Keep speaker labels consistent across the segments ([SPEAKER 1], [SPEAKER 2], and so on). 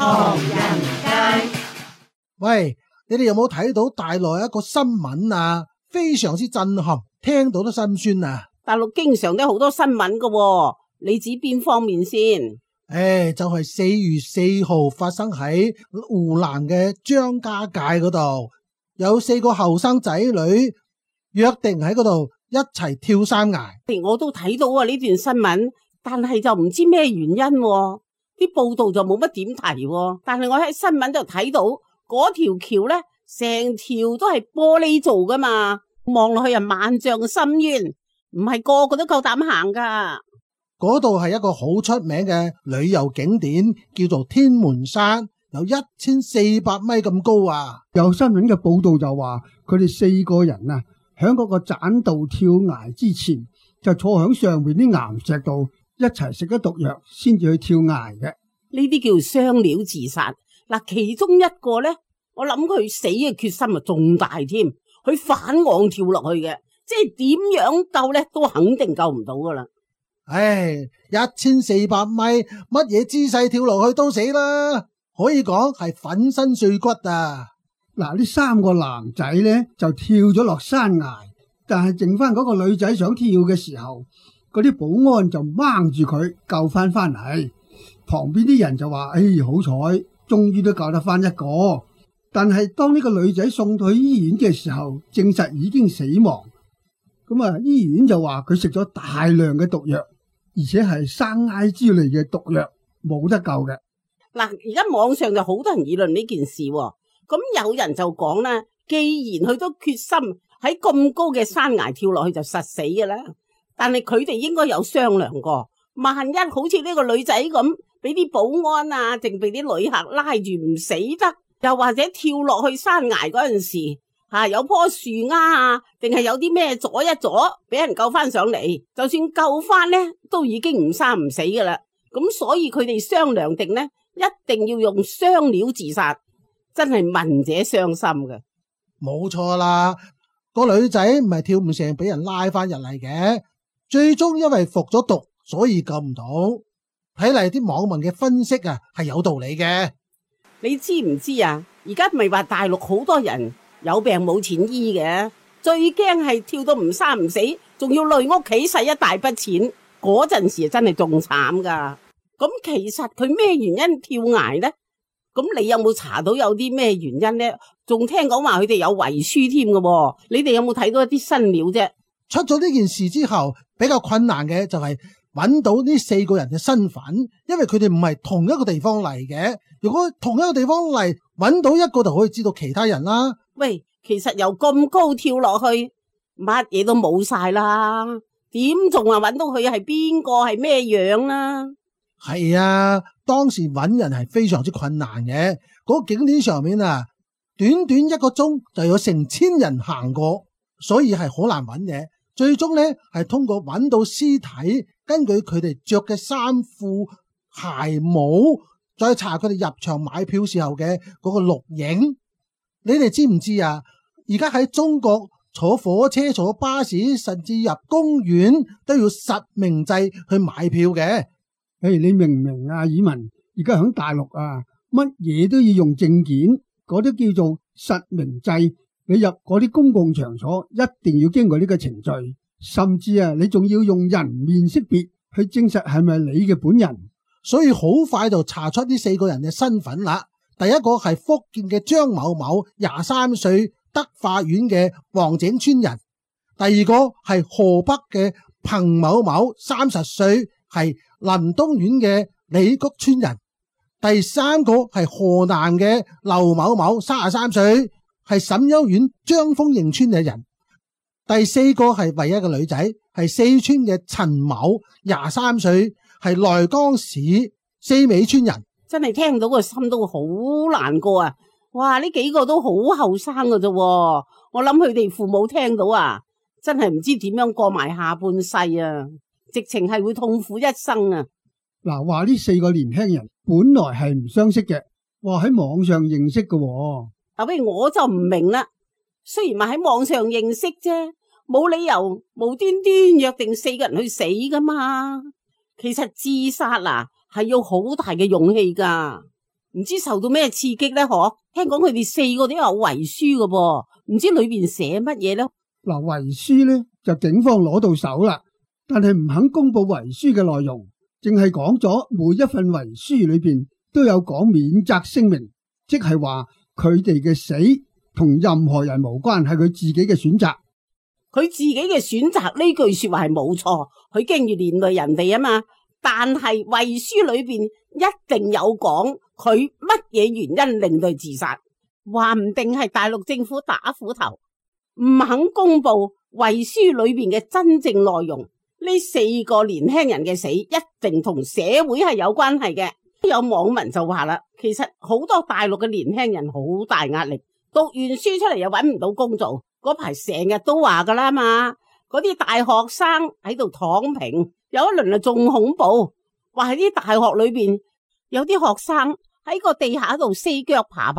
[SPEAKER 1] 唐人街。
[SPEAKER 2] 喂，你哋有冇睇到大陸一個新聞啊？非常之震撼，聽到都心酸啊！
[SPEAKER 3] 大陸經常都好多新聞噶，你指邊方面先？
[SPEAKER 2] 就係4月4號發生喺湖南嘅張家界嗰度，有4個後生仔女約定喺嗰度一齊跳山崖。
[SPEAKER 3] 我都睇到啊呢段新聞，但係就唔知咩原因，啲報道就冇乜點提。但係我喺新聞度睇到嗰條橋呢，成條都係玻璃做噶嘛，望落去啊萬丈深淵，唔係個個都夠膽行噶。
[SPEAKER 2] 嗰度係一個好出名嘅旅遊景點，叫做天門山，有1400米咁高啊！
[SPEAKER 4] 有新聞嘅報道就話，佢哋4個人啊，響嗰個棧道跳崖之前，就坐響上面啲岩石度一齊食咗毒藥，先至去跳崖嘅。
[SPEAKER 3] 呢啲叫雙料自殺。嗱，其中一個呢，我諗佢死嘅決心啊仲大添，佢反岸跳落去嘅，即係點樣救呢都肯定救唔到噶啦。
[SPEAKER 2] 1400米，乜嘢姿勢跳落去都死啦，可以講係粉身碎骨啊！
[SPEAKER 4] 嗱，呢3個男仔呢就跳咗落山崖，但係剩翻嗰個女仔想跳嘅時候，嗰啲保安就掹住佢救翻嚟。旁邊啲人就話：好彩，終於都救得翻一個。但係當呢個女仔送到去醫院嘅時候，證實已經死亡。咁啊，醫院就話佢食咗大量嘅毒藥，而且係生埃之類嘅毒藥，冇得救嘅。
[SPEAKER 3] 嗱，而家網上就好多人議論呢件事，咁有人就講啦，既然佢都決心喺咁高嘅山崖跳落去就實死嘅啦，但係佢哋應該有商量過，萬一好似呢個女仔咁，俾啲保安啊，定俾啲旅客拉住唔死得，又或者跳落去山崖嗰陣時，有棵樹丫啊，定係有啲咩阻一阻，俾人救翻上嚟，就算救翻呢，都已經唔生唔死噶啦。咁所以佢哋商量定呢，一定要用雙料自殺，真係聞者傷心嘅。
[SPEAKER 2] 冇錯啦，個女仔唔係跳唔成，俾人拉翻入嚟嘅，最終因為服咗毒，所以救唔到。睇嚟啲網民嘅分析啊，係有道理嘅。
[SPEAKER 3] 你知唔知啊？而家咪話大陸好多人有病冇錢醫嘅，最驚係跳到唔生唔死，仲要累屋企使一大筆錢，嗰陣時真係仲慘噶。咁其實佢咩原因跳崖呢？咁你有冇查到有啲咩原因呢？仲聽講話佢哋有遺書添嘅，你哋有冇睇到一啲新料啫？
[SPEAKER 2] 出咗呢件事之後，比較困難嘅就係揾到呢4個人嘅身份，因為佢哋唔係同一個地方嚟嘅。如果同一個地方嚟，揾到一個就可以知道其他人啦。
[SPEAKER 3] 喂，其實由咁高跳落去，乜嘢都冇晒啦，點仲話揾到佢係邊個係咩樣啊？
[SPEAKER 2] 係啊，當時揾人係非常之困難嘅。嗰個景點上面啊，短短1個鐘就有成千人行過，所以係好難揾嘅。最終呢係通過揾到屍體，根據佢哋着嘅衫褲鞋帽，再查佢哋入場買票時候嘅嗰個錄影。你哋知唔知啊？而家喺中國坐火車、坐巴士，甚至入公園都要實名制去買票嘅。
[SPEAKER 4] 你明唔明啊？以文而家喺大陸啊，乜嘢都要用證件，嗰啲叫做實名制。你入嗰啲公共場所一定要經過呢個程序，甚至啊，你仲要用人面識別去證實係咪你嘅本人。
[SPEAKER 2] 所以好快就查出呢4個人嘅身份啦。第一個係福建嘅張某某，23歲，德化縣嘅黃井村人；第二個係河北嘅彭某某，30歲，係臨東縣嘅李谷村人；第三個係河南嘅劉某某，33歲，係沈丘縣張豐營村嘅人；第四個係唯一嘅女仔，係四川嘅陳某，23歲，係內江市四美村人。
[SPEAKER 3] 真係聽到個心都好難過啊！哇，呢幾個都好後生㗎啫，我諗佢哋父母聽到啊，真係唔知點樣過埋下半世啊，直情係會痛苦一生啊！
[SPEAKER 4] 嗱，話呢4個年輕人本來係唔相識嘅，話喺網上認識嘅。
[SPEAKER 3] 不如我就唔明啦。雖然話喺網上認識啫，冇理由無端端約定4個人去死噶嘛。其實自殺係要好大嘅勇氣噶。唔知受到咩刺激咧？嗬，聽講佢哋4個都有遺書㗎噃，唔知裏邊寫乜嘢咧？
[SPEAKER 4] 嗱，遺書咧就警方攞到手啦，但係唔肯公布遺書嘅內容，淨係講咗每一份遺書裏邊都有講免責聲明，即係話佢哋嘅死同任何人無關，係佢自己嘅選擇。
[SPEAKER 3] 佢自己嘅選擇呢句說話係冇錯，佢驚住連累人哋啊嘛。但係遺書裏邊一定有講佢乜嘢原因令佢自殺，話唔定係大陸政府打斧頭，唔肯公布遺書裏邊嘅真正內容。呢4個年輕人嘅死一定同社會係有關係嘅。有網民就話啦，其實好多大陸嘅年輕人好大壓力，讀完書出嚟又搵唔到工做，嗰排成日都話噶啦嘛。嗰啲大學生喺度躺平，有一輪啊仲恐怖，話喺啲大學裏邊有啲學生喺個地下度4腳爬，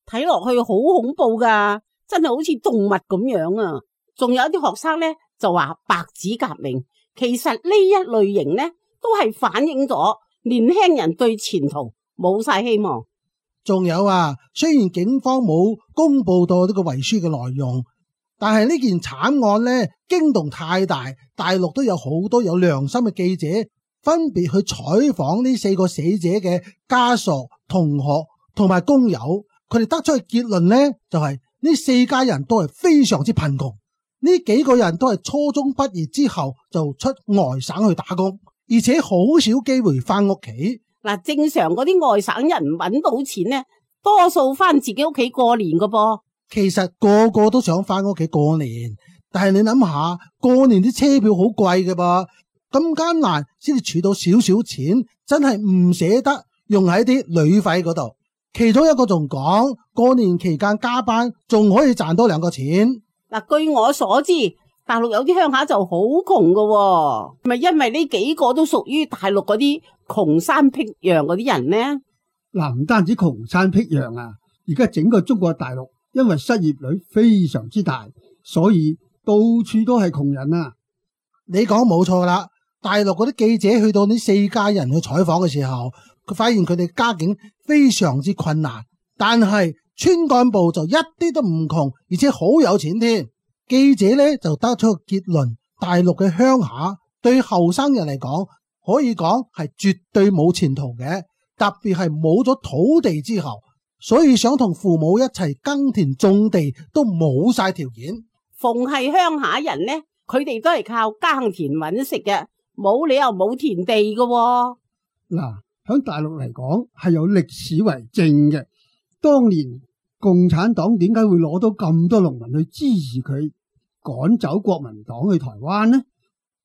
[SPEAKER 3] 睇落去好恐怖噶，真係好似動物咁樣啊！仲有啲學生咧就話白紙革命，其實呢一類型咧都係反映咗年輕人對前途冇晒希望。
[SPEAKER 2] 仲有啊，雖然警方冇公布到呢個遺書嘅內容，但係呢件慘案呢驚動太大，大陸都有好多有良心嘅記者分別去採訪呢4個死者嘅家屬、同學同埋工友，佢哋得出嘅結論呢就係呢4家人都係非常之貧窮，呢幾個人都係初中畢業之後就出外省去打工，而且好少機會翻屋企。
[SPEAKER 3] 嗱，正常嗰啲外省人搵到錢呢，多數翻自己屋企過年噶噃。
[SPEAKER 2] 其實個個都想翻屋企過年，但係你諗下，過年啲車票好貴嘅噃，咁艱難先至儲到少少錢，真係唔捨得用喺啲旅費嗰度。其中一個仲講，過年期間加班仲可以賺多2個錢。
[SPEAKER 3] 嗱，據我所知，大陸有啲鄉下就好窮噶，咪因為呢幾個都屬於大陸嗰啲窮山僻壤嗰啲人呢？
[SPEAKER 4] 嗱，唔單止窮山僻壤啊，而家整個中國大陸因為失業率非常之大，所以到處都係窮人啊。
[SPEAKER 2] 你講冇錯啦，大陸嗰啲記者去到呢4家人去採訪嘅時候，佢發現佢哋家境非常之困難，但係村幹部就一啲都唔窮，而且好有錢添。記者呢就得出個結論，大陸嘅鄉下對後生人嚟講可以講係絕對冇前途嘅，特別係冇咗土地之後，所以想同父母一齊耕田種地都冇晒條件。
[SPEAKER 3] 逢係鄉下人呢，佢哋都係靠耕田搵食嘅，冇理由冇田地嘅喎。
[SPEAKER 4] 嗱，響大陸嚟講係有歷史為證嘅，當年共產黨點解會攞到咁多農民去支持佢趕走國民黨去台灣呢？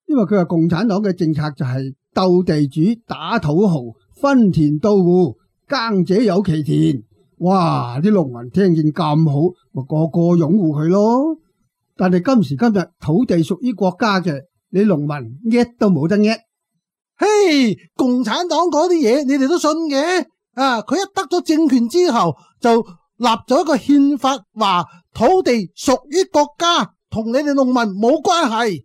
[SPEAKER 4] 因為佢話共產黨嘅政策就係鬥地主、打土豪、分田到戶，耕者有其田。哇！啲農民聽見咁好，咪個個擁護佢咯。但係今時今日土地屬於國家嘅，你農民搣都冇得搣。
[SPEAKER 2] 嘿，共產黨嗰啲嘢你哋都信嘅？啊，佢一得咗政權之後就立咗一個憲法，話土地屬於國家，同你哋農民冇關係。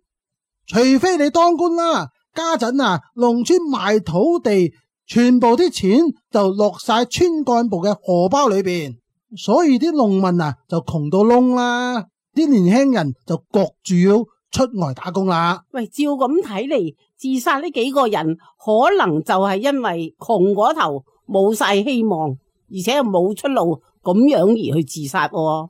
[SPEAKER 2] 除非你當官啦，家陣啊，農村賣土地，全部啲錢就落晒村幹部嘅荷包裏邊，所以啲農民啊就窮到窿啦，啲年輕人就焗住要出外打工啦。
[SPEAKER 3] 喂，照咁睇嚟，自殺呢幾個人可能就係因為窮嗰頭冇晒希望，而且又冇出路，咁樣而去自殺喎。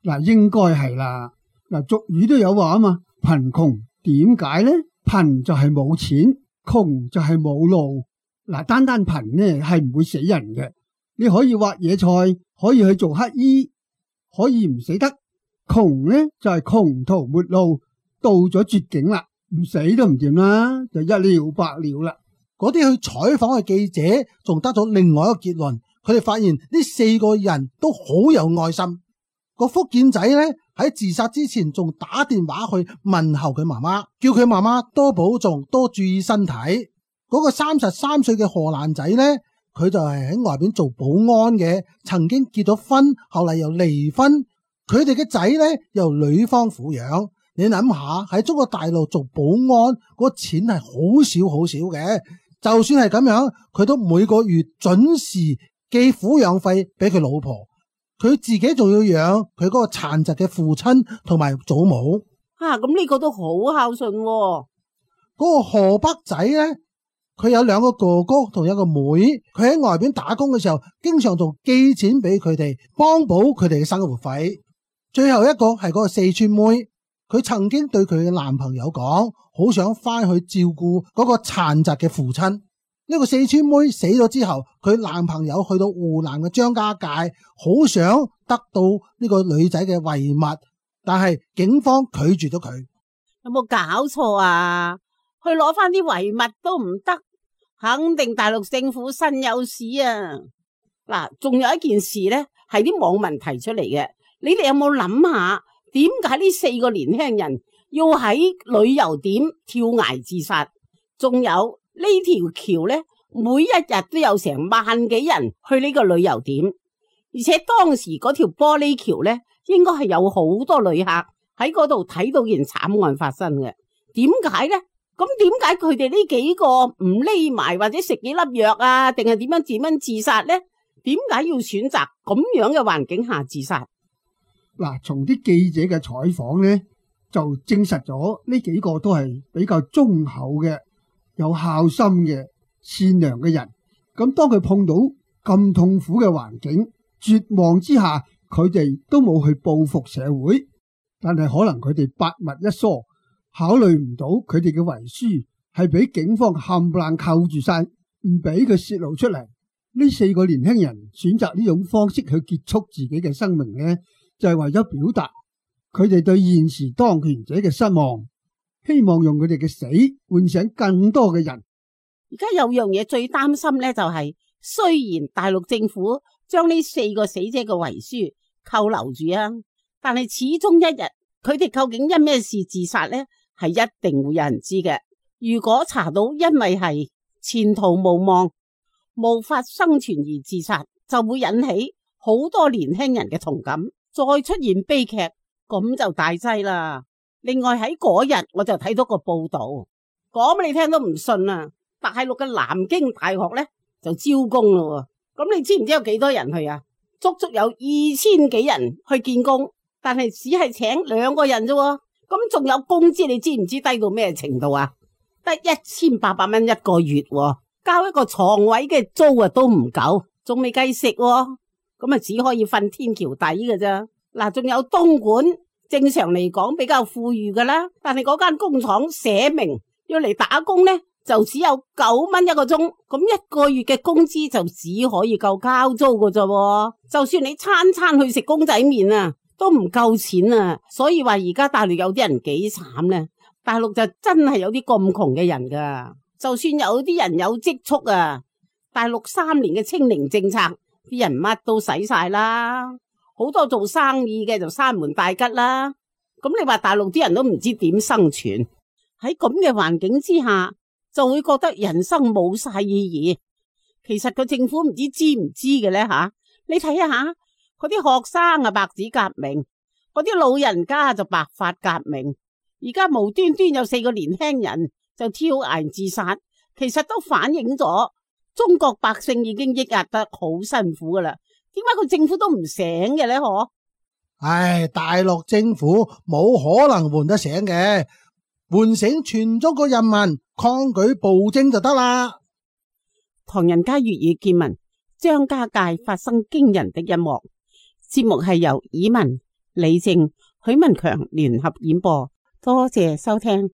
[SPEAKER 4] 嗱，應該係啦。嗱，俗語都有話啊嘛，貧窮點解呢？貧就係冇錢，窮就係冇路。嗱，單單貧呢係唔會死人嘅，你可以挖野菜，可以去做乞衣，可以唔死得。窮呢就係窮途末路，到咗絕境啦，唔死都唔掂啦，就一了百了啦。
[SPEAKER 2] 嗰啲去採訪嘅記者仲得咗另外一個結論，佢哋發現呢4個人都好有愛心。個福建仔呢喺自殺之前仲打電話去問候佢媽媽，叫佢媽媽多保重，多注意身體。嗰個33歲嘅荷蘭仔呢，佢就係喺外邊做保安嘅，曾經結咗婚，後嚟又離婚。佢哋嘅仔呢由女方撫養。你諗下喺中國大陸做保安嗰個錢係好少好少嘅，就算係咁樣，佢都每個月準時寄撫養費俾佢老婆，佢自己仲要養佢嗰個殘疾嘅父親同埋祖母。
[SPEAKER 3] 咁呢個都好孝順喎。
[SPEAKER 2] 嗰個河北仔呢，佢有2個哥哥同1個妹，佢喺外邊打工嘅時候，經常仲寄錢俾佢哋，幫補佢哋嘅生活費。最後一個係嗰個四川妹，佢曾經對佢嘅男朋友講，好想翻去照顧嗰個殘疾嘅父親。呢個四川妹死咗之後，佢男朋友去到湖南嘅張家界，好想得到呢個女仔嘅遺物，但係警方拒絕咗佢。
[SPEAKER 3] 有冇搞錯啊？去攞翻啲遺物都唔得，肯定大陸政府身有屎啊！嗱，仲有一件事呢，係啲網民提出嚟嘅，你哋有冇諗下，點解呢4個年輕人要喺旅遊點跳崖自殺？仲有呢條橋呢，每一日都有成萬幾人去呢個旅遊點，而且當時嗰條玻璃橋呢，應該係有好多旅客喺嗰度睇到件慘案發生嘅。點解呢？咁點解佢哋呢幾個唔匿埋或者食幾粒藥啊，定係點樣自殺呢？點解要選擇咁樣嘅環境下自殺？
[SPEAKER 4] 嗱，從啲記者嘅採訪呢，就證實咗呢幾個都係比較忠厚嘅、有孝心嘅、善良嘅人。咁當佢碰到咁痛苦嘅環境、絕望之下，佢哋都冇去報復社會，但係可能佢哋百密一疏，考慮唔到佢哋嘅遺書係俾警方冚唪唥扣住晒，唔俾佢泄露出嚟。呢4個年輕人選擇呢種方式去結束自己嘅生命呢，就係為咗表達佢哋對現時當權者嘅失望，希望用佢哋嘅死喚醒更多嘅人。
[SPEAKER 3] 而家有樣嘢最擔心呢，就係雖然大陸政府將呢4個死者嘅遺書扣留住啊，但係始終一日佢哋究竟因咩事自殺呢，係一定會有人知嘅。如果查到因為係前途無望、無法生存而自殺，就會引起好多年輕人嘅同感，再出現悲劇，咁就大劑啦。另外喺嗰日我就睇到個報道，講俾你聽都唔信啊！大陸嘅南京大學呢就招工咯，咁你知唔知有幾多人去啊？足足有2000幾人去見工，但係只係請2個人啫。咁仲有工資，你知唔知低到咩程度啊？得1800蚊一個月，交一個床位嘅租啊都唔夠，仲未計食，咁啊只可以瞓天橋底嘅啫。嗱，仲有東莞，正常嚟講比較富裕噶啦，但係嗰間工廠寫明要嚟打工呢，就只有9蚊一個鐘，咁一個月嘅工資就只可以夠交租嘅啫。就算你餐餐去食公仔麵啊，都唔夠錢啊。所以話而家大陸有啲人幾慘呢？大陸就真係有啲咁窮嘅人噶。就算有啲人有積蓄啊，大陸3年嘅清零政策，啲人乜都使晒啦。好多做生意嘅就閂門大吉啦。咁你話大陸啲人都唔知點生存，喺咁嘅環境之下，就會覺得人生冇晒意義。其實個政府唔知唔知嘅咧吓，你睇下嗰啲學生啊白紙革命，嗰啲老人家就白髮革命。而家無端端有4個年輕人就跳崖自殺，其實都反映咗中國百姓已經抑壓得好辛苦噶啦。點解個政府都唔醒嘅咧？嗬？
[SPEAKER 2] 唉，大陸政府冇可能喚得醒嘅，喚醒全中國人民抗拒暴政就得啦。
[SPEAKER 3] 唐人街粵語見聞，張家界發生驚人的一幕。節目係由以文、李靜、許文強聯合演播，多謝收聽。